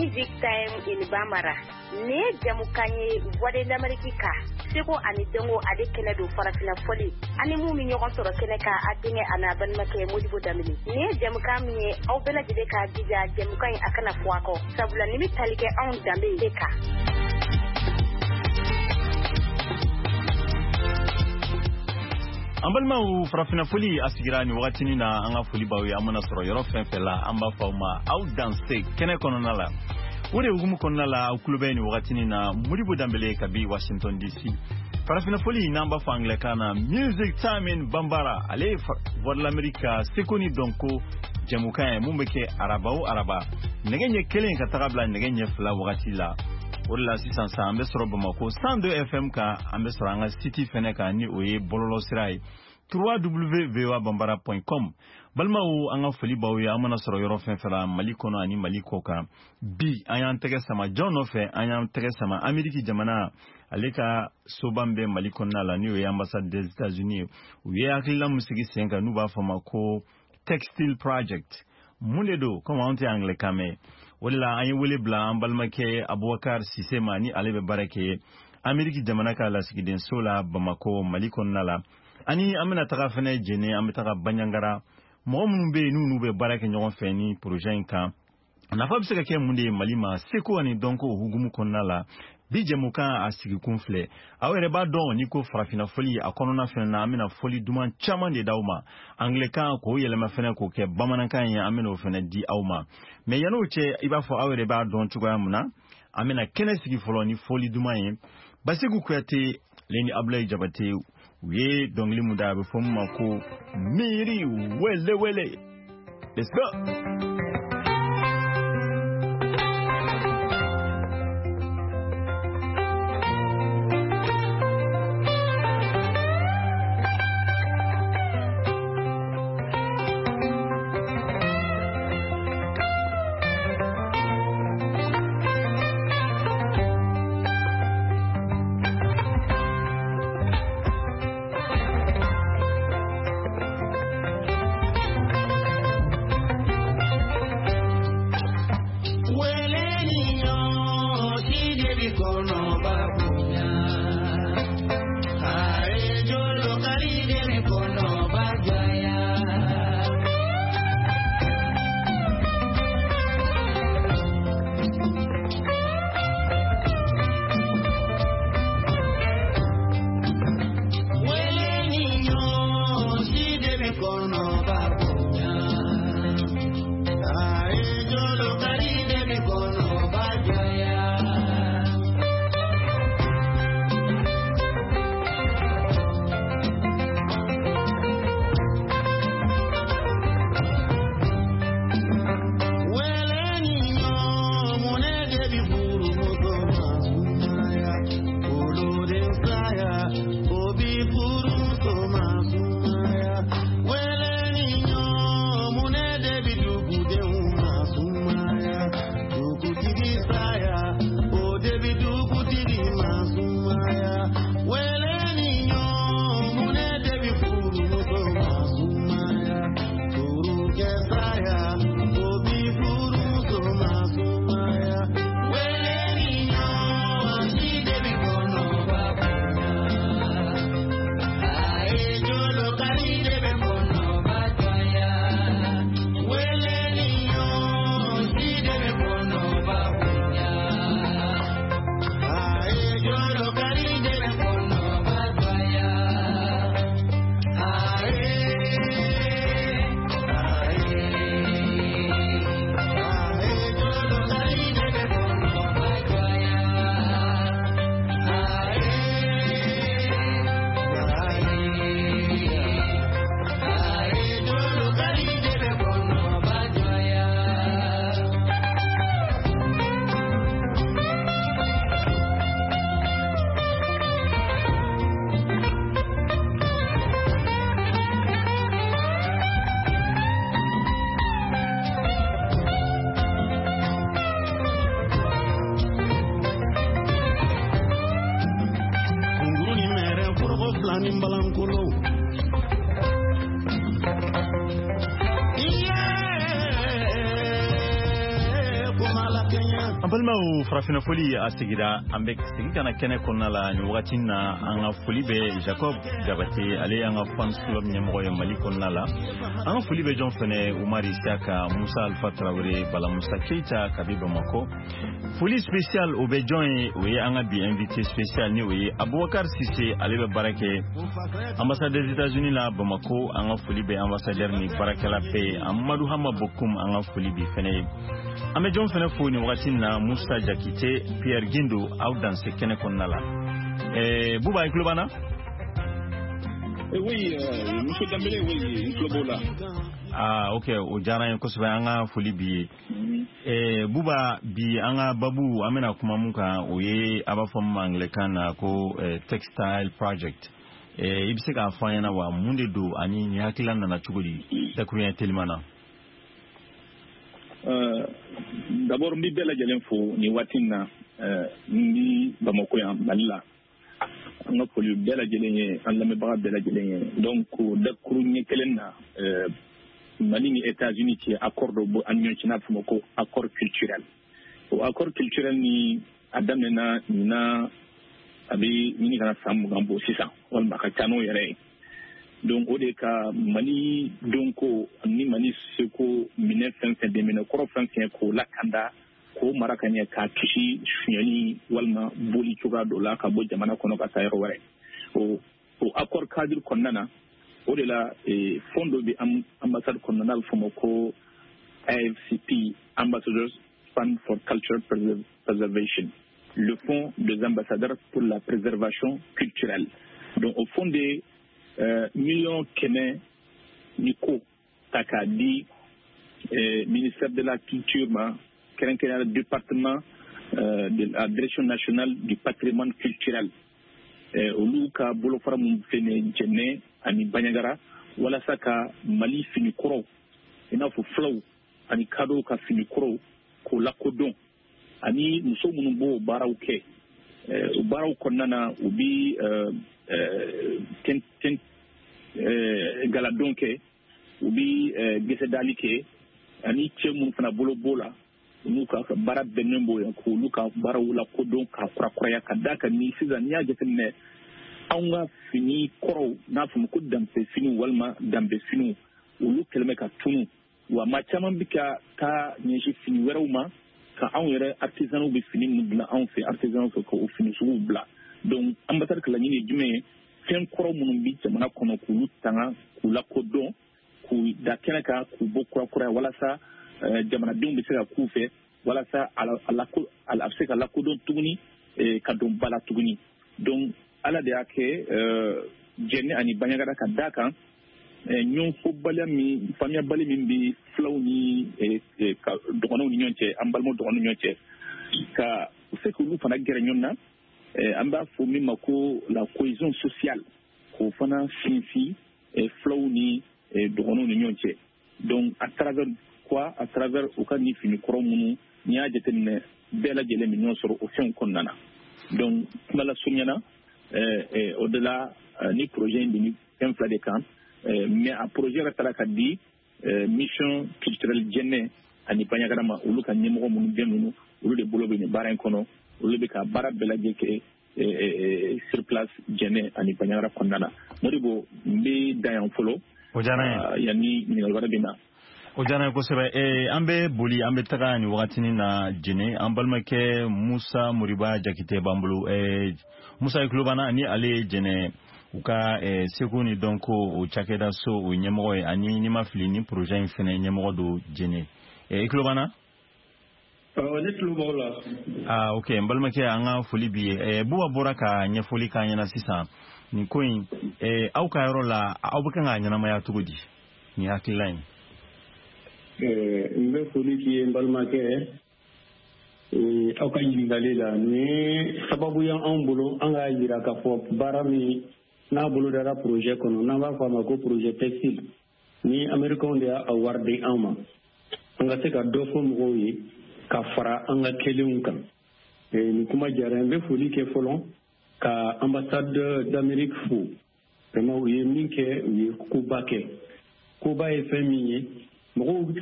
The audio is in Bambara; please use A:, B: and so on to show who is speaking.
A: Music Time in Bambara. Nin ye jɛmukan ye Voix de l'Amérique kan, seko ani dɔnko ale kɛnɛ don, farafinna fɔli ani mun bɛ ɲɔgɔn sɔrɔ kɛnɛ kan, a denkɛ a n'a balimakɛ Modibo Danbele. Nin ye jɛmukan min ye, aw bɛɛ lajɛlen k'a jija jɛmukan in a kana fɔ a kɔ, sabula nin bɛ tali kɛ anw danbe de kan.
B: An balimaw, farafinna foli a sigira nin wagatinin na. An ka foli b'aw ye, an mana sɔrɔ yɔrɔ fɛn fɛn la, an b'a fɔ aw ma aw danse kɛnɛ kɔnɔna la. O de hukumu kɔnɔna la, aw tulo bɛ nin wagatinin na Modibo Danbele kabi Washington DC. Farafinna foli, n'an b'a fɔ angilɛkan na Music Time in Bambara, ale ye Voix de l'Amérique ka seko ni dɔnko jɛmukan ye mun bɛ kɛ araba o araba nɛgɛ ɲɛ 1 ka taga bila nɛgɛ ɲɛ 2 wagati la. O de la sisan sa an bɛ sɔrɔ Bamako 102 FM kan, an bɛ sɔrɔ an ka site fɛnɛ kan, ni o ye bɔlɔlɔsira ye www.voabambara.com. Balimaw, an ka foli b'aw ye, an mana sɔrɔ yɔrɔ fɛn fɛn la Mali kɔnɔ ani Mali kɔ kan. Bi an y'an tɛgɛ sama jɔn nɔfɛ? An y'an tɛgɛ sama Ameriki jamana ale ka soba min bɛ Mali kɔnɔna la, n'o ye ambassade des États-Unis ye. U ye hakilila min sigi sen kan, n'u b'a fɔ ma ko Textile Project. Mun de don? Komi anw tɛ angilɛkan mɛn, o de la an ye wele bila an balimakɛ Abubakar Sise ma, ni ale bɛ baara kɛ Ameriki jamana ka lasigidenso la Bamako, Mali kɔnɔna la. Ani an bɛna taga fɛnɛ Jene, an bɛ taga Banjagara, mɔgɔ minnu bɛ yen n'u bɛ baara kɛ ɲɔgɔn fɛ ni projet in kan, a nafa bɛ se ka kɛ mun de ye Mali ma seko ani dɔnko hukumu kɔnɔna la. Bi jɛmukan a sigikun filɛ, aw yɛrɛ b'a dɔn n'i ko farafinna foli a kɔnɔna fɛnɛ na, an bɛna foli duman caman de d'aw ma angilɛkan k'o yɛlɛma fɛnɛ k'o kɛ bamanankan ye, an bɛna o fɛnɛ di aw ma. Mais yan'o cɛ, i b'a fɔ aw yɛrɛ b'a dɔn cogoya min na, an bɛna kɛnɛ sigi fɔlɔ ni foli duman ye. Basiku Kuyate ale ni Abulayi Jabate, u ye dɔnkili mun da, a bɛ fɔ min ma ko Miiri Wele Wele. Let's go. An balimaw, farafinna foli a sigira. An bɛ segin ka na kɛnɛ kɔnɔna la nin wagati na. An ka foli bɛ Jacob Jabate, ale y'an ka fans club ɲɛmɔgɔ ye Mali kɔnɔna la. An ka foli bɛ jɔn fɛnɛ? Umar Isiaka, Musa Alfa Tarawele, Bala Musa Keita kabi Bamakɔ. Foli spécial, o bɛ jɔn ye? O ye an ka bi invité spécial, ni o ye Abubakar Sise. Ale bɛ baara kɛ ambassade des États-Unis la Bamako. An ka foli bɛ ambassadeur ni baarakɛla bɛɛ ye. Amadu Hama Bokum, an ka foli bi fɛnɛ ye. An bɛ jɔn fɛnɛ fo nin wagati na? Musa Jakite, Pierre Gindo, aw danse kɛnɛ kɔnɔna la. Buba, i tulo b'an na?
C: Oui, Monsieur Dambélé, oui, n tulo b'o la.
B: Ah, ok, o diyara n ye kosɛbɛ. An ka foli b'i ye. Buba, bi an ka babu, an bɛna kuma mun kan, o ye a b'a fɔ min ma anglais-kan na ko textile project. I bɛ se k'a fɔ an ɲɛna wa, mun de don ani nin hakilila nana cogo di, dakuruɲɛ teliman na?
C: D'abord, n bɛ bɛɛ lajɛlen fo nin waati in na. N bi Bamako yan, Mali la. An ka foli bɛɛ lajɛlen ye, an lamɛnbaga bɛɛ lajɛlen ye. Donc, dakuru ɲɛ kelen na, Mali ni États-Unis cɛ, accord dɔ bɔ an ni ɲɔgɔn cɛ, n'a bɛ f'o ma ko accord culturel. O accord culturel ni a daminɛna ɲinan, a bɛ ɲini ka na san 20 bɔ sisan, walima a ka ca n'o yɛrɛ ye. Donc o de ka Mali donko ni Mali seko minɛ fɛn fɛn, dɛmɛ kɔrɔ fɛn fɛn, k'o lakanda, k'o mara ka ɲɛ, k'a kisi sonyɛli walima boli cogoya dɔ la ka bɔ jamana kɔnɔ ka taa yɔrɔ wɛrɛ. O accord cadre kɔnɔna na, o de la fond dɔ bɛ ambassade kɔnɔna, n'a bɛ f'o ma ko AFCP, Ambassadors Fund for Cultural Preservation, le fonds des ambassadeurs pour la préservation culturelle. Donc o fonds de 100 000 000 ni ko ta k'a di ministère de la Culture ma, kɛrɛnkɛrɛnnenya département de la Direction nationale du patrimoine culturel, olu ka bolofara mun filɛ nin ye Jɛnɛ ani Baɲagara, walasa ka Mali fini kɔrɔw, i n'a fɔ fulaw ani kadɔw ka fini kɔrɔw, k'o lakodɔn, ani muso minnu b'o baaraw kɛ. O baaraw kɔnɔna na, u bi galadon kɛ, u bi gɛsɛdali kɛ, ani cɛ minnu fana bolo b'o la, n'u ka baara bɛnnen b'o ye, k'olu ka baaraw lakodɔn k'a kurakuraya. Ka d'a kan ni sisan n'i y'a jateminɛ, anw ka fini kɔrɔw, n'a fɔ ko danbe finiw walima danbe finiw, olu kɛlen bɛ ka tunu wa. Maa caman bɛ ka taa ɲɛsin fini wɛrɛw ma, ka anw yɛrɛ artisanw bɛ fini minnu dilan anw fɛ, artisanw fɛ, k'o fini suguw bila. Donc ambassade ka laɲini ye jumɛn ye? Fɛn kɔrɔ minnu bɛ jamana kɔnɔ, k'olu tanga, k'u lakodɔn, k'u da kɛnɛ kan, k'u bɔ kurakuraya, walasa jamanadenw bɛ se ka k'u fɛ, walasa a bɛ se ka lakodɔn tuguni, ka don ba la tuguni. Donc Ala de y'a kɛ, Jɛnɛ ani Baɲagara, ka d'a kan ɲɔgɔnfɔbaliya min, faamuyabali min bɛ fulaw ni dɔgɔnɔw ni ɲɔgɔn cɛ, an balimaw dɔgɔnɔw ni ɲɔgɔn cɛ, ka se k'olu fana gɛrɛ ɲɔgɔn na, an b'a fɔ min ma ko la cohésion sociale, k'o fana sinsin fulaw ni dɔgɔnɔw ni ɲɔgɔn cɛ. Donc à travers quoi? À travers u ka nin fini kɔrɔ minnu, n'i y'a jateminɛ, bɛɛ lajɛlen bɛ ɲɔgɔn sɔrɔ o fɛnw kɔnɔna na. Donc kuma lasurunya na, o de la ni projet in bɛ ni fɛn fila de kan. Mais a projet yɛrɛ taara ka di mission culturelle Jɛnɛ ani Baɲagara ma. Olu ka ɲɛmɔgɔ minnu bɛ ninnu, olu de bolo bɛ nin baara in kɔnɔ, olu bɛ ka baara bɛɛ lajɛ kɛ sur place Jɛnɛ ani Baɲagara kɔnɔna na. Modibo, n bɛ dan yan fɔlɔ.
B: O diyara n
C: ye. Yanni ɲininkali wɛrɛ bɛ na.
B: O diyara n ye kosɛbɛ. An bɛ boli, an bɛ taga nin wagatinin na Jɛnɛ. An balimakɛ Musa Moriba Jakite b'an bolo. Musa, i tulo b'an na? Ni ale ye Jɛnɛ u ka seko ni dɔnko o cakɛda so o ɲɛmɔgɔ ye, ani n'i ma fili, ni projet in fɛnɛ ɲɛmɔgɔ don Jɛnɛ. I tulo b'an na?
D: Ne tulo b'aw la.
B: Ah, ok, n balimakɛ, an ka foli b'i ye. Buba bɔra ka ɲɛfɔli k'an ɲɛna sisan nin ko in. Aw ka yɔrɔ la, aw bɛ kan k'a ɲɛnamaya cogo di, nin hakilila in?
D: N bɛ foli k'i ye, n balimakɛ, aw ka ɲininkali la. Nin sababu y'anw bolo an k'a yira k'a fɔ baara min n'a bolo dara projet kɔnɔ, n'an b'a fɔ a ma ko projet textile, ni Américains de y'a wari di an ma, an ka se ka dɔ fɔ mɔgɔw ye ka fara an ka kɛlenw kan. Nin kuma diyara n bɛ foli kɛ fɔlɔ ka ambassade d'Amérique fo. Vraiment, u ye min kɛ, u ye koba kɛ. Koba ye fɛn min ye, mɔgɔw hakili